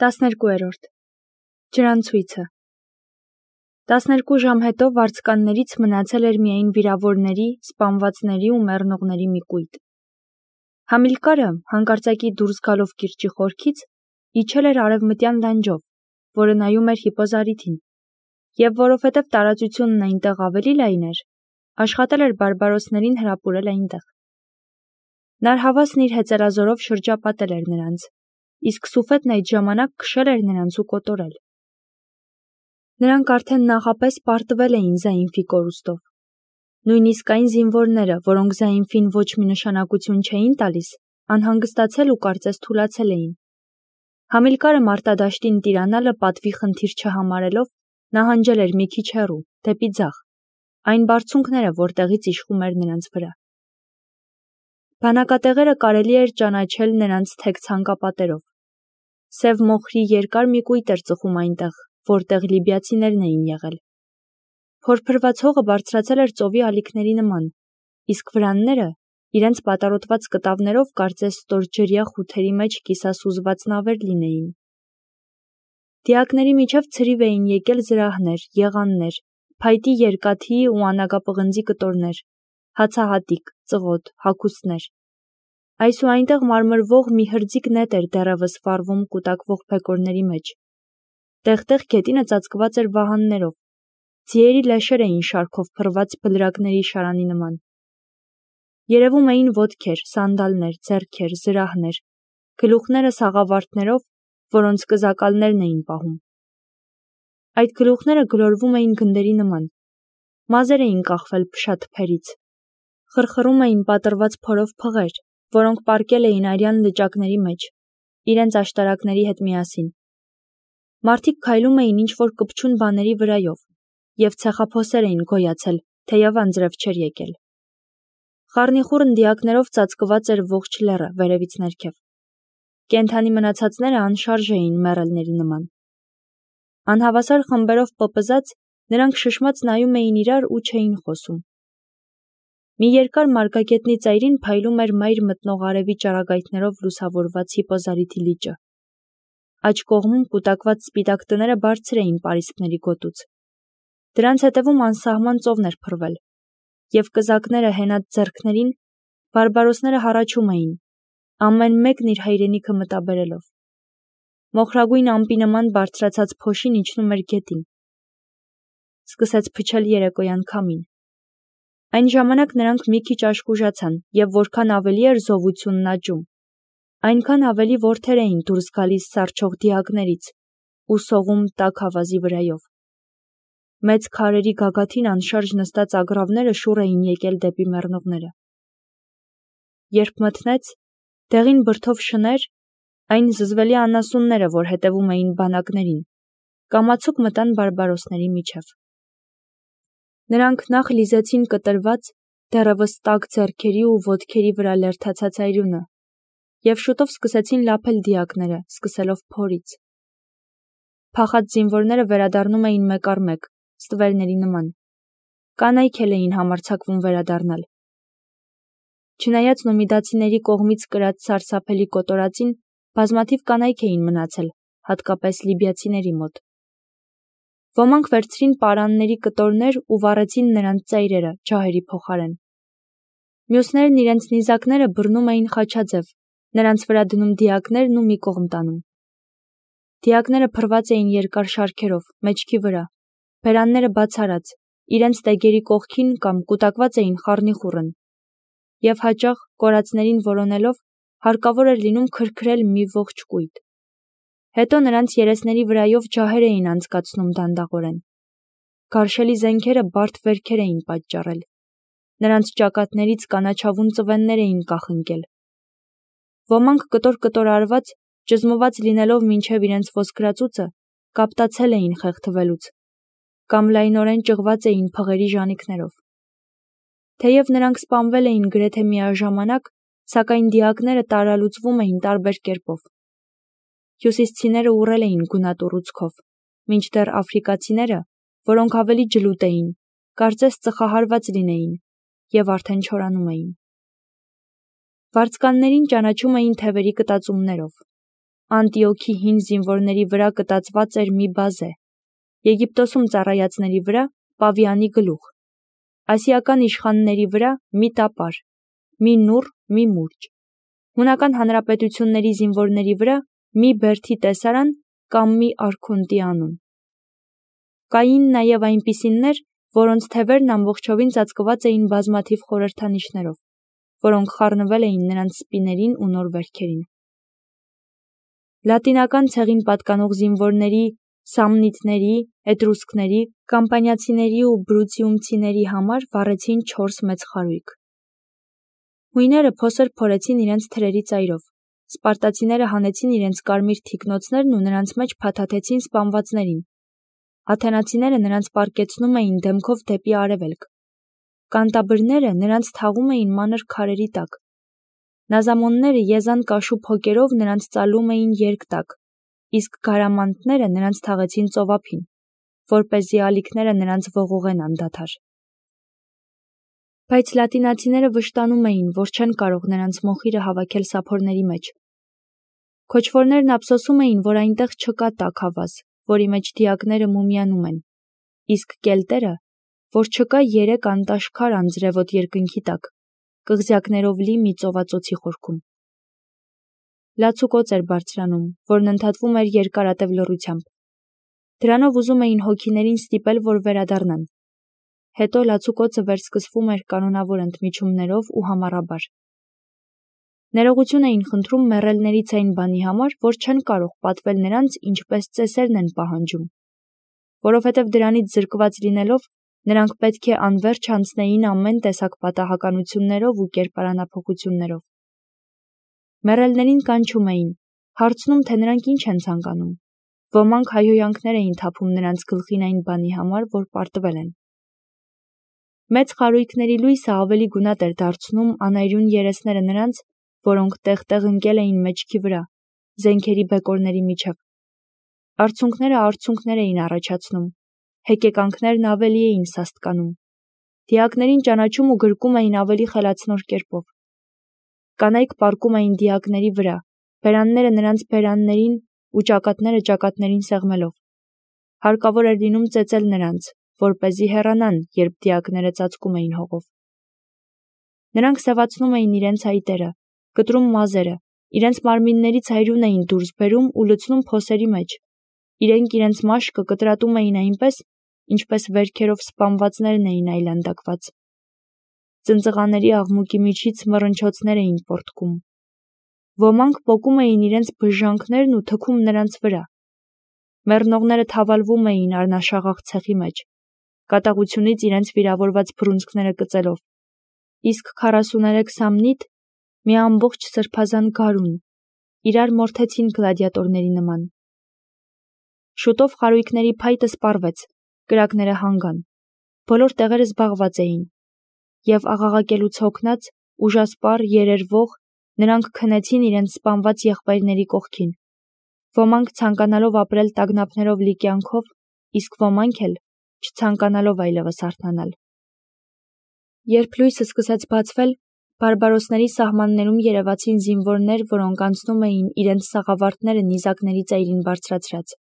12-րդ Ջրանցույցը 12 ժամ հետո վարձկաններից մնացել էր միայն վիրավորների, սպանվածների ու մեռնողների մի կույտ։ Համիլկարը, հանկարծակի դուրս գալով կիրճի խորքից, իջել էր արևմտյան լանջով, որը նայում էր հիպոզարիթին, և որովհետև տարածությունն այնտեղ ավելի լայն էր, աշխատել էր բարբարոսներին հրապուրել այնտեղ։ Նարհավասն իր հեծելազորով շրջապատել էր նրանց, իսկ Սուֆետն այդ ժամանակ քշել էր նրանց ու կոտորել։ Նրանք արդեն նախապես պարտվել էին Զայինֆի կորուստով։ Նույնիսկ այն զինվորները, որոնք Զայինֆին ոչ մի նշանակություն չէին տալիս, անհանգստացել ու կարծես թուլացել էին։ Համիլկարը մարտադաշտին տիրանալը պատվի խնդիր չհամարելով, նահանջել էր մի քիչ հեռու, դեպի ձախ, այն բարձունքները, որտեղից իշխում էր նրանց վրա։ Բանակատեղերը կարելի էր ճանաչել նրանց թեք ցանկապատերով։ Սև մոխրի երկար մի կույտ էր ծխում այնտեղ, որտեղ լիբիացիներն էին եղել։ Փորփրված հողը բարձրացել էր ծովի ալիքների նման, իսկ վրանները, իրենց պատառոտված կտավներով կարծես ստորջրյա խութերի մեջ կիսասուզված նավեր լինեին։ Դիակների միջև ցրիվ էին եկել զրահներ, եղաններ, փայտի երկաթի ու անագապղնձի կտորներ, հացահատիկ, ծղոտ, հագուստներ։ Այս ու այնտեղ մարմրվող մի հրձիկ նետ էր դեռևս վառվում կուտակվող փեկորների մեջ։ Տեղ-տեղ գետինը ծածկված էր վահաններով, ձիերի լեշեր էին շարքով փռված բլրակների շարանի նման։ Երևում էին ոտքեր, սանդալներ, ձեռքեր, զրահներ, գլուխները սաղավարտներով, որոնց կզակալներն էին պահում։ Այդ գլուխները գլորվում էին գնդերի նման, մազեր էին կախվել փշաթփերից, խրխռում էին պատռված փորով փղեր, որոնք պառկել էին արյան լճակների մեջ, իրենց աշտարակների հետ միասին։ Մարդիկ քայլում էին ինչ-որ կպչուն բաների վրայով, և ցեխափոսեր էին գոյացել, թեև անձրև չէր եկել։ Խառնիխուռն դիակներով ծածկված էր ողջ լեռը վերևից ներքև։ Կենդանի մնացածները անշարժ էին մեռելների նման։ Անհավասար խմբերով պպզած, նրանք շշմած նայում էին իրար ու չէին խոսում։ Մի երկար մարգագետնի ծայրին փայլում էր մայր մտնող արևի ճառագայթներով լուսավորված հիպոզարիթի լիճը։ Աջ կողմում կուտակված սպիտակ տները բարձր էին պարիսպների գոտուց։ Դրանց հետևում անսահման ծովն էր փռվել, և կզակները հենած ձեռքներին, բարբարոսները հառաչում էին, ամեն մեկն իր հայրենիքը մտաբերելով։ Մոխրագույն ամպի նման բարձրացած փոշին իջնում էր գետին։ Սկսեց փչել երեկոյան քամին։ Այն ժամանակ նրանք մի քիչ աշխուժացան, և որքան ավելի էր զովությունն աճում, այնքան ավելի որդեր էին դուրս գալիս սառչող դիակներից ու սողում տաք ավազի վրայով։ Մեծ քարերի գագաթին անշարժ նստած ագռավները շուռ էին եկել դեպի մեռնողները։ Երբ մթնեց, դեղին բրդով շներ, այն զզվելի անասունները, որ հետևում էին բանակներին, կամացուկ մտան բարբարոսների միջև։ Նրանք նախ լիզեցին կտրված, դեռևս տաք ձեռքերի ու ոտքերի վրա լերդացած այրունը, և շուտով սկսեցին լափել դիակները, սկսելով փորից։ Փախած զինվորները վերադառնում էին մեկ առ մեկ, ստվերների նման։ Կանայք էլ էին համարձակվում վերադառնալ։ Չնայած նոմիդացիների կողմից կրած սարսափելի կոտորածին, բազմաթիվ կանայք էին մնացել, հատկապես լիբիացիների մոտ։ Ոմանք վերցրին պարանների կտորներ ու վառեցին նրանց ծայրերը ջահերի փոխարեն։ Մյուսներն իրենց նիզակները բռնում էին խաչաձև, նրանց վրա դնում դիակներն ու մի կողմ տանում։ Դիակները փռված էին երկար շարքերով, մեջքի վրա, բերանները բացառած, իրենց տեգերի կողքին կամ կուտակված էին խառնիխուռն, և հաճախ, կորածներին որոնելով, հարկավոր էր լինում քրքրել մի ողջ կույտ։ Հետո նրանց երեսների վրայով ջահեր էին անցկացնում դանդաղորեն։ Գարշելի զենքերը բարդ վերքեր էին պատճառել։ Նրանց ճակատներից կանաչավուն ծվեններ էին կախնկել։ Ոմանք կտոր-կտոր արված, ճզմված լինելով մինչև իրենց ոսկրածուծը, կապտացել էին խեղդվելուց, կամ լայնորեն ճղված էին փղերի ժանիքներով։ Թեև նրանք սպանվել էին գրեթե միաժամանակ, սակայն դիակները տարալուծվում էին տարբեր կերպով։ Հյուսիսցիները ուռել էին գունատ ուռուցքով, մինչդեռ աֆրիկացիները, որոնք ավելի ջլուտ էին, կարծես ծխահարված լինեին, և արդեն չորանում էին։ Վարձկաններին ճանաչում էին թևերի կտածումներով։ Անտիոքի հին զինվորների վրա կտածված էր մի բազե, Եգիպտոսում ծառայածների վրա պավիանի գլուխ, ասիական իշխանների վրա մի տապար, մի նուռ, մի մուրճ, հունական հանրապետությունների զինվորների վրա մի բերդի տեսարան կամ մի արքունտի անուն։ Կային նաև այնպիսիններ, որոնց թևերն ամբողջովին ծածկված էին բազմաթիվ խորհրդանիշներով, որոնք խառնվել էին նրանց սպիներին ու նոր վերքերին։ Լատինական ցեղին պատկանող զինվորների, սամնիտների, էտրուսկների, կամպանիացիների ու բրուցիումցիների համար վառեցին 4 մեծ խարույկ։ Հույները փոսեր փորեցին իրենց թրերի ծայրով, սպարտացիները հանեցին իրենց կարմիր թիկնոցներն ու նրանց մեջ փաթաթեցին սպանվածներին, աթենացիները նրանց պառկեցնում էին դեմքով դեպի արևելք, կանտաբրները նրանց թաղում էին մանր քարերի տակ, նազամոնները եզան կաշու փոկերով նրանց ծալում էին երկտակ, իսկ գարամանտները նրանց թաղեցին ծովափին, որպեսզի ալիքները նրանց ողողեն անդադար։ Բայց լատինացիները վշտանում էին, որ չեն կարող նրանց մոխիրը հավաքել սափորների մեջ։ Քոչվորներն ափսոսում էին, որ այնտեղ չկա տաք հավազ, որի մեջ դիակները մումիանում են, իսկ կելտերը, որ չկա 3 անտաշքար անձրևոտ երկնքի տակ, կղզյակներով լի մի ծովածոցի խորքում։ Լացուկոծ էր բարձրանում, որն ընդհատվում էր երկարատև լռությամբ։ Դրանով ուզում էին հոգիներին ստիպել, որ վերադառնան։ Հետո լացուկոցը վերսկսվում էր կանոնավոր ընդմիջումներով ու համառաբար։ Ներողություն էին խնդրում մեռելներից այն բանի համար, որ չեն կարող պատվել նրանց, ինչպես ծեսերն են պահանջում, որովհետև դրանից զրկված լինելով, նրանք պետք է անվերջ անցնեին ամեն տեսակ պատահականություններով ու կերպարանափոխություններով։ Մեռելներին կանչում էին, հարցնում, թե նրանք ինչ են ցանկանում։ Ոմանք հայհոյանքներ էին թափում նրանց գլխին այն բանի համար, որ պարտվել են։ Մեծ խարույկների լույսը ավելի գունատ էր դարձնում անայրուն երեսները նրանց, որոնք տեղ-տեղ ընկել էին մեջքի վրա, զենքերի բեկորների միջև։ Արցունքները էին առաջացնում, հեկեկանքներն ավելի էին սաստկանում, դիակներին ճանաչում ու գրկում էին ավելի խելացնոր կերպով։ Կանայք պառկում էին դիակների վրա, բերանները նրանց բերաններին ու ճակատները ճակատներին սեղմելով։ Հարկավոր էր լինում ծեծել նրանց, որպեսզի հեռանան, երբ դիակները ծածկում էին հողով։ Նրանք սևացնում էին իրենց այտերը, կտրում մազերը, իրենց մարմիններից այրուն էին դուրս բերում ու լցնում փոսերի մեջ, իրենք իրենց մաշկը կտրատում էին այնպես, ինչպես վերքերով սպանվածներն էին այլանդակված։ Ծնծղաների աղմուկի միջից մռնչոցներ էին պոռթկում։ Ոմանք պոկում էին իրենց բժժանքներն ու թքում նրանց վրա։ Մեռնողները թավալվում էին արնաշաղախ ցեխի մեջ, կատաղությունից իրենց վիրավորված բռունցքները կծելով, իսկ 43 սամնիտ, մի ամբողջ սրբազան գարուն, իրար մորթեցին գլադիատորների նման։ Շուտով խարույկների փայտը սպառվեց, կրակները հանգան, բոլոր տեղերը զբաղված էին, և աղաղակելուց հոգնած, ուժասպառ, երերվող, նրանք քնեցին իրենց սպանված եղբայրների կողքին։ Ոմանք ցանկանալով ապրել տագնապներով լի կյանքով, իսկ ոմանք էլ չցանկանալով այլևս արթնանալ։ Երբ լույսը սկսեց բացվել, բարբարոսների սահմաններում երևացին զինվորներ, որոնք անցնում էին իրենց սաղավարտները նիզակների ծայրին բարձրացրած։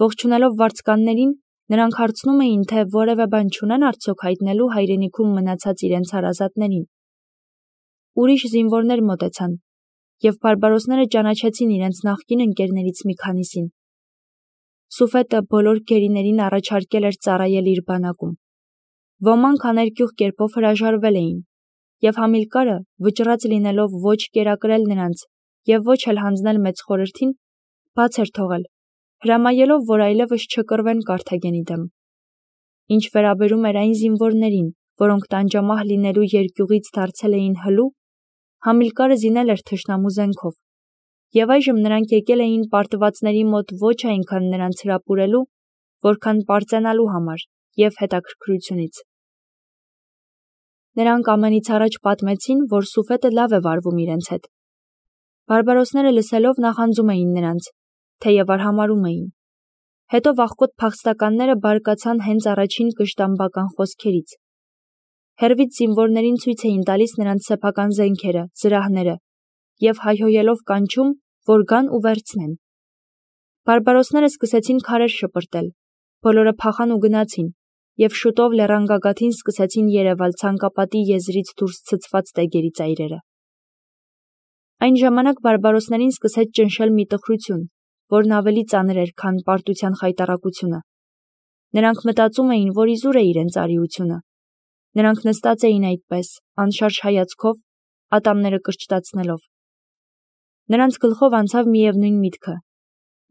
Ողջունելով վարձկաններին, նրանք հարցնում էին, թե որևէ բան չունեն արդյոք հայտնելու հայրենիքում մնացած իրենց հարազատներին։ Ուրիշ զինվորներ մոտեցան, և բարբարոսները ճանաչեցին իրենց նախկին ընկերներից մի քանիսին։ Սուֆետը բոլոր գերիներին առաջարկել էր ծառայել իր բանակում։ Ոմանք աներկյուղ կերպով հրաժարվել էին, և Համիլկարը, վճռած լինելով ոչ կերակրել նրանց և ոչ էլ հանձնել մեծ խորհրդին, բաց էր թողել, հրամայելով, որ այլևս չկռվեն Կարթագենի դեմ։ Ինչ վերաբերում էր այն զինվորներին, որոնք տանջամահ լինելու երկյուղից դարձել էին հլու, Համիլկարը զինել էր թշնամու զենքով, և այժմ նրանք եկել էին պարտվածների մոտ ոչ այնքան նրանց հրապուրելու, որքան պարծենալու համար և հետաքրքրությունից։ Նրանք ամենից առաջ պատմեցին, որ Սուֆետը լավ է վարվում իրենց հետ։ Բարբարոսները լսելով նախանձում էին նրանց, թեև արհամարհում էին։ Հետո վախկոտ փախստականները բարկացան հենց առաջին կշտամբական խոսքերից։ Հեռվից զինվորներին ցույց էին տալիս նրանց սեփական զենքերը, զրահները, և հայհոյելով կանչում, որ գան ու վերցնեն։ Բարբարոսները սկսեցին քարեր շպրտել, բոլորը փախան ու գնացին, և շուտով լեռան գագաթին սկսեցին երևալ ցանկապատի եզրից դուրս ցցված տեգերի ծայրերը։ Այն ժամանակ բարբարոսներին սկսեց ճնշել մի տխրություն, որն ավելի ծանր էր, քան պարտության խայտառակությունը։ Նրանք մտածում էին, որ իզուր է իրենց արիությունը։ Նրանք նստած էին այդպես, անշարժ հայացքով, ատամները կրճտացնելով։ Նրանց գլխով անցավ միևնույն միտքը։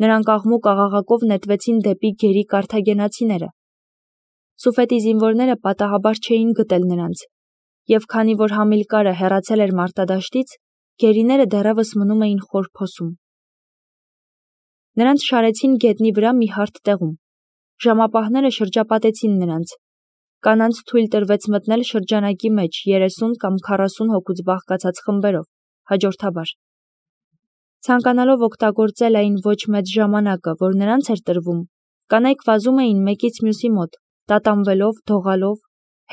Նրանք աղմուկ աղաղակով նետվեցին դեպի գերի կարթագենացիները։ Սուֆետի զինվորները պատահաբար չէին գտել նրանց, և քանի որ Համիլկարը հեռացել էր մարտադաշտից, գերիները դեռևս մնում էին խոր փոսում։ Նրանց շարեցին գետնի վրա մի հարթ տեղում։ Ժամապահները շրջապատեցին նրանց։ Կանանց թույլ տրվեց մտնել շրջանակի մեջ 30 կամ 40 հոգուց բաղկացած խմբերով, հաջորդաբար։ Ցանկանալով օգտագործել այն ոչ մեծ ժամանակը, որ նրանց էր տրվում, կանայք վազում էին մեկից մյուսի մոտ, տատանվելով, դողալով,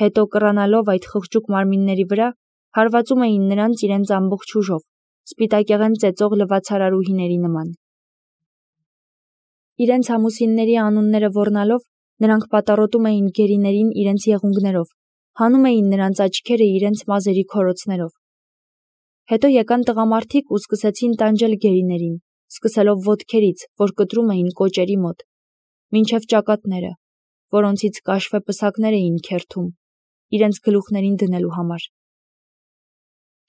հետո կռանալով այդ խղճուկ մարմինների վրա, հարվածում էին նրանց իրենց ամբողջ ուժով, սպիտակեղեն ծեծող լվացարարուհիների նման։ Իրենց ամուսինների անունները ոռնալով, նրանք պատառոտում էին գերիներին իրենց եղունգներով, հանում էին նրանց աչքերը իրենց մազերի քորոցներով։ Հետո եկան տղամարդիկ ու սկսեցին տանջել գերիներին, սկսելով ոտքերից, որ կտրում էին կոճերի մոտ, մինչև ճակատները, որոնցից կաշվե պսակներ էին քերթում, իրենց գլուխներին դնելու համար։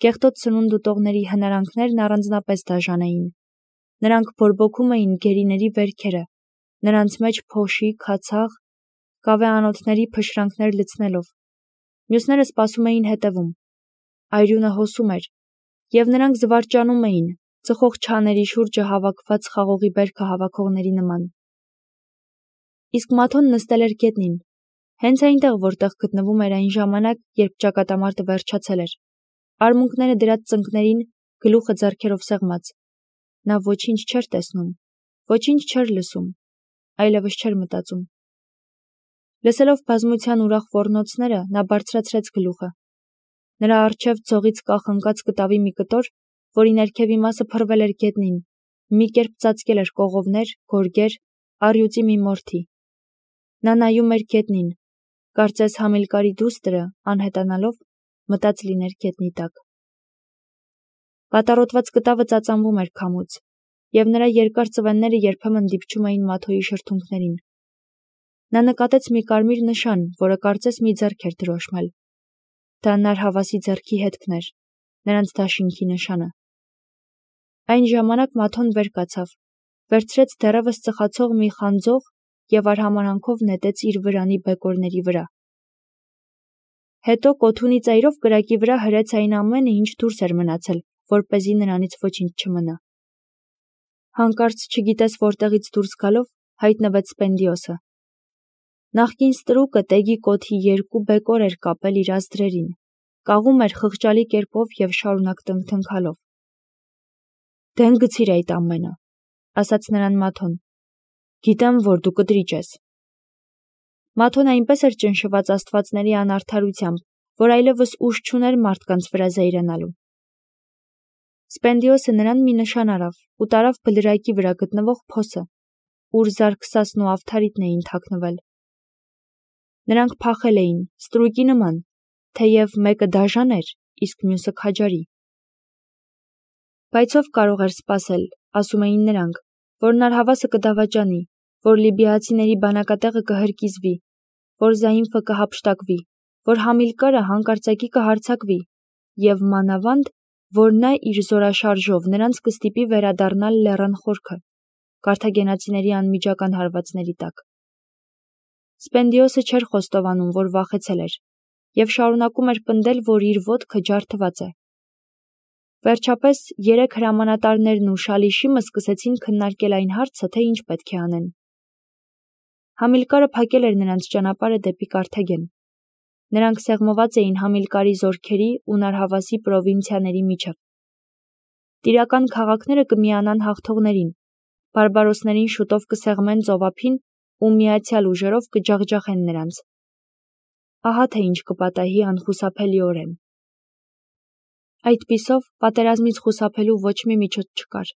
Կեղտոտ սնունդ ուտողների հնարանքներն առանձնապես դաժան էին։ Նրանք բորբոքում էին գերիների վերքերը, նրանց մեջ փոշի, քացաղ, կավեանոթների փշրանքներ լցնելով։ Մյուսները սպասում էին հետևում։ Այրյունը հոսում էր, և նրանք զվարճանում էին, ծխող չաների շուրջը հավաքված խաղողի բերքը հավաքողների նման։ Իսկ Մաթոն նստել էր գետնին, հենց այնտեղ, որտեղ գտնվում էր այն ժամանակ, երբ ճակատամարտը վերջացել էր, արմունկները դրած ծնկներին, գլուխը ձեռքերով սեղմած։ Նա ոչինչ չէր տեսնում, ոչինչ չէր լսում, այլևս չէր մտածում։ Լսելով բազմության ուրախ ոռնոցները, նա բարձրացրեց գլուխը։ Նրա առջև ձողից կախնկած կտավի մի կտոր, որի ներքևի մասը փռվել էր գետնին, մի կերպ ծածկել էր կողովներ, գորգեր, առյուծի մի մորթի։ Նա նայում էր գետնին, կարծես Համիլկարի դուստրը, անհետանալով, մտած լիներ գետնի տակ։ Պատառոտված կտավը ծածանվում էր քամուց, և նրա երկար ծվենները երբեմն դիպչում էին Մաթոյի շրթունքներին։ Նա նկատեց մի կարմիր նշան, որը կարծես մի ձեռք էր դրոշմել։ Դա նարհավասի ձեռքի հետքն էր, նրանց դաշինքի նշանը։ Այն ժամանակ Մաթոն վեր կացավ, վերցրեց դեռևս ծխացող մի խանձող և արհամարհանքով նետեց իր վրանի բեկորների վրա։ Հետո կոթունի ծայրով կրակի վրա հրեց այն ամենը, ինչ դուրս էր մնացել, որպեսզի նրանից ոչինչ չմնա։ Հանկարծ չգիտես որտեղից դուրս գալով հայտնվեց Սպենդիոսը։ Նախկին ստրուկը տեգի կոթի 2 բեկոր էր կապել իր ազդրերին, կաղում էր խղճալի կերպով և շարունակ տնքթնքալով։ «Դեն գցիր այդ ամենը», ասաց նրան Մաթոն։ «Գիտեմ, որ դու կտրիճ ես»։ Մաթոն այնպես էր ճնշված աստվածների անարդարությամբ, որ այլևս ուժ չուներ մարդկանց վրա զայրանալու։ Սպենդիոսը նրան մի նշան արավ ու տարավ բլրակի վրա գտնվող փոսը, ուր Զարքսասն ու Ավթարիտն էին թաքնվել։ Նրանք փախել էին, ստրուկի նման, թեև մեկը դաժան էր, իսկ մյուսը քաջարի։ Բայց ով կարող էր սպասել, ասում էին նրանք, որ նարհավասը կդավաճանի, որ լիբիացիների բանակատեղը կհրկիզվի, որ Զայինֆը կհափշտակվի, որ Համիլկարը հանկարծակի կհարձակվի, և մանավանդ, որ նա իր զորաշարժով նրանց կստիպի վերադառնալ լեռան խորքը, կարթագենացիների անմիջական հարվածների տակ։ Սպենդիոսը չէր խոստովանում, որ վախեցել էր, և շարունակում էր պնդել, որ իր ոտքը ջարդված է։ Վերջապես 3 հրամանատարներն ու Շալիշիմը սկսեցին քննարկել այն հարցը, թե ինչ պետք է անեն։ Համիլկարը փակել էր նրանց ճանապարհը դեպի Կարթագեն։ Նրանք սեղմված էին Համիլկարի զորքերի ու Նարհավասի պրովինցիաների միջև։ Տիրական քաղաքները կմիանան հաղթողներին, բարբարոսներին շուտով կսեղմեն ծովափին ու միացյալ ուժերով կջախջախեն նրանց։ Ահա թե ինչ կպատահի անխուսափելիորեն։ Այդպիսով պատերազմից խուսափելու ոչ մի միջոց չկար։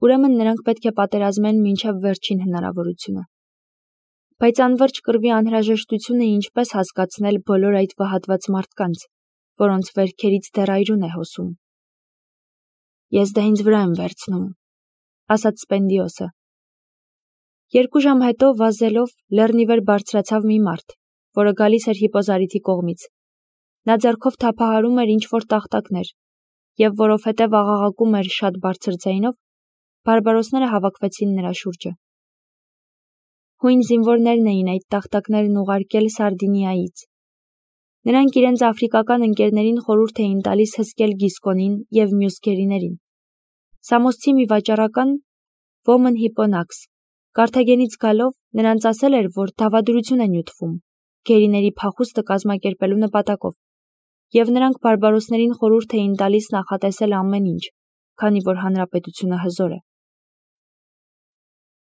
Ուրեմն նրանք պետք է պատերազմեն մինչև վերջին հնարավորությունը։ Բայց անվերջ կռվի անհրաժեշտությունը ինչպես հասկացնել բոլոր այդ վհատված մարդկանց, որոնց վերքերից դեռ այրուն է հոսում։ Ես դա ինձ վրա եմ վերցնում, ասաց Սպենդիոսը։ 2 ժամ հետո վազելով լեռնի վեր բարձրացավ մի մարդ, որը գալիս էր Հիպոզարիթի կողմից։ Նա ձեռքով թափահարում էր ինչ-որ տախտակներ, և որովհետև աղաղակում էր շատ բարձր ձայնով, բարբարոսները հավաքվեցին նրա շուրջը։ Հույն զինվորներն էին այդ տախտակներն ուղարկել Սարդինիայից։ Նրանք իրենց աֆրիկական ընկերներին խորհուրդ էին տալիս հսկել Գիսկոնին և մյուս գերիներին։ Սամոսցի մի վաճառական, Ոմն Հիպոնաքս, Կարթագենից գալով նրանց ասել էր, որ դավադրություն է նյութվում գերիների փախուստը կազմակերպելու նպատակով, և նրանք բարբարոսներին խորհուրդ էին տալիս նախատեսել ամեն ինչ, քանի որ հանրապետությունը հզոր է։